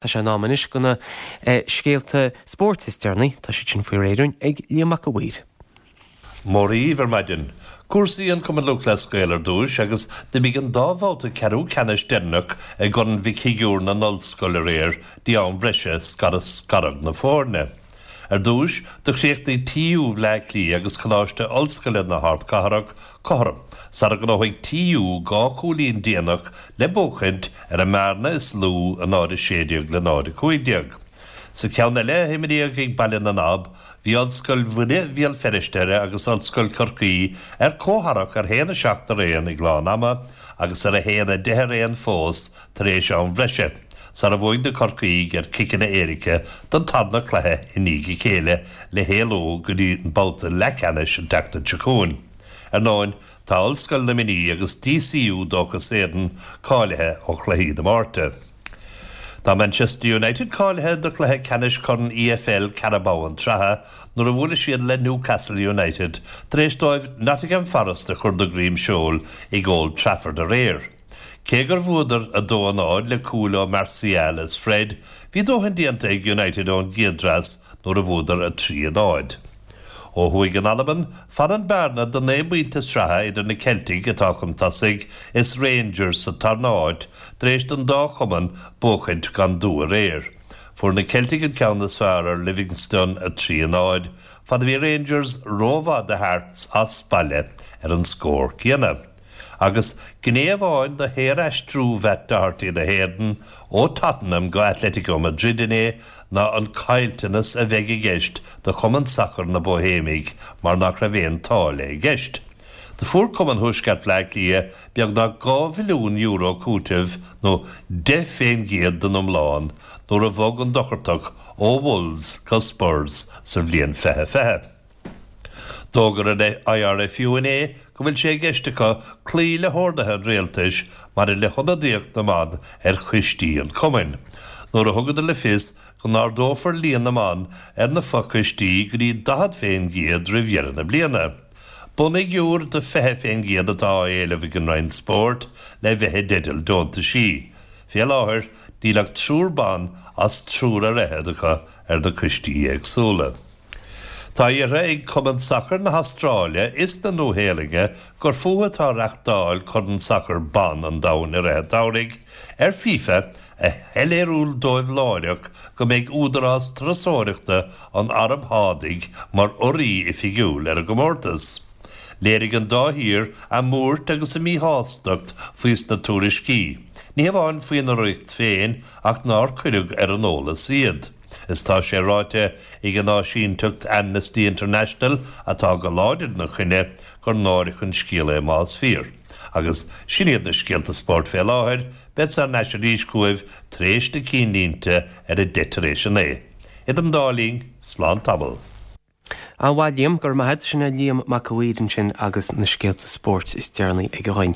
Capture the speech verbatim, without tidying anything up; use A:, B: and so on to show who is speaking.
A: Tá sé in am anois do na scéalta spóirt is deireanaí, tá siad sin faoi réir ag Liam Mac a' Mhaoir.
B: Mór ar maidin. Cúrsaí an Cumann Lúthchleas Gael ar dtús agus d'imigh an dá bhabhta ceathrú ceannais deireanach i gCorn Mhic Shigiúir na nOllscol aréir dtí am bhreise scaradh scaradh na foirne. Ar dtús do chríochnaigh TU Bhaile Átha Cliath agus Coláiste Ollscoile na hArdchathrach cothrom, sara ngnóthaigh TU dhá chúilín déanach le buachaint ar an mbearna is lú a náid a sé déag le náid a cúig déag. Sa ceann eile a imríodh ag Baile na nAb, bhí Ollscoil Mhuire Bhéal Feirste agus Ollscoil Chorcaí ar comhtharrac ar haon a seacht ar aon ag lán ama agus ar a haon a deich ar aon fós tar éis am bhreise. Sara bhuaigh na Corcaígh ar ciceanna éirice don tarna cluiche i ndiaidh a chéile le héalú go dtí an babhta leathcheannais an tseachtain seo chugainn. Ar ndóigh tá Ollscoil na Mí agus DCU Dóchas Éireann cáilithe ó chluichí na Márta. Tá Manchester United cáilithe do chluiche ceannais Corn EFL Carabao an tsraithe nuair a bhuail siad le Newcastle United tar éis dóibh Nottingham Forest a chur de dhroim seoil ag Old Trafford aréir. Cé gur bhuadar a dó a náid le cúil ó Martial is Fred, bhí dóthain déanta ag United ón gcéad dreas nuair a bhuadar a trí a náid. Ó thuaidh in Albain, fanann bearna de naoi bpointe sraithe idir na Celtic atá chun tosaigh is Rangers sa tarna háit tar éis don dá chumann buachaint gan dua aréir. Fuair na Celtic an ceann is fearr ar Livingston a trí a náid, fad a bhí Rangers rómhaith do Hearts as baile ar an scór céanna. Agus gné amháin de shaoraistriú Mhatt Doherty na hÉireann ó Tottenham go Atletico Madrid inné ná an caillteanas a bheidh i gceist do chumann sacair na Boihéimigh mar nach raibh aon táille i gceist. Do fuair Cumann Thuaisceart Bhaile Átha Cliath beagnach dhá mhilliún euro cúiteamh nó deich faoin gcéad den iomlán nuair a bhog an Dochartach ó Wolves go Spurs sa bhliain fiche fiche. D'fhógair an IRFU inné go bhfuil sé i gceist acu cloí le horduithe an rialtais maidir le hionadaíocht na mban ar choistí an chumainn. Nuair a thugadar le fios go n-ardófar líon na mban ar na fochoistí go dtí daichead faoin gcéad roimh dheireadh na bliana. Bunfhigiúr de fiche faoin gcéad atá á éileamh ag an Roinn Spóirt le bheith i dteideal deontaisí. Fé láthair níl ach triúr ban as triúr ar fhichead acu ar na coistí éagsúla. Tá iarrtha ag Cumann Sacair na hAstráile is na Nua-Shéalainne gur fúthu atá reáchtáil Corn Sacair Ban an Domhain i rith an tsamhraidh ar FIFA a shoiléiriú dóibh láithreach go mbeidh údarás turasóireachta an Araib Shádaigh mar urraí oifigiúil ar an gcomórtas. Léirigh an dá thír a mbuairt agus a míshástacht faoi sna tuairiscí. Ní hamháin faoin urraíocht féin ach nár cuireadh ar an eolas iad. Is tá sé ráite ag an áisínteacht Amnesty International atá go láidir ina choinne gur náireach an scéal é más fíor. Agus sin iad na scéalta spóirt fé láthair, bead thar n-ais arís chugaibh tar éis na cinnlínte ar a deich tar éis a naoi. Idir an dá linn, slán tamall.
A: An bhhail Liam gur maithe sinna Liam Mac a' Mhaoir ansin agus na scéalta spóirt is deireanaí ag a ghain.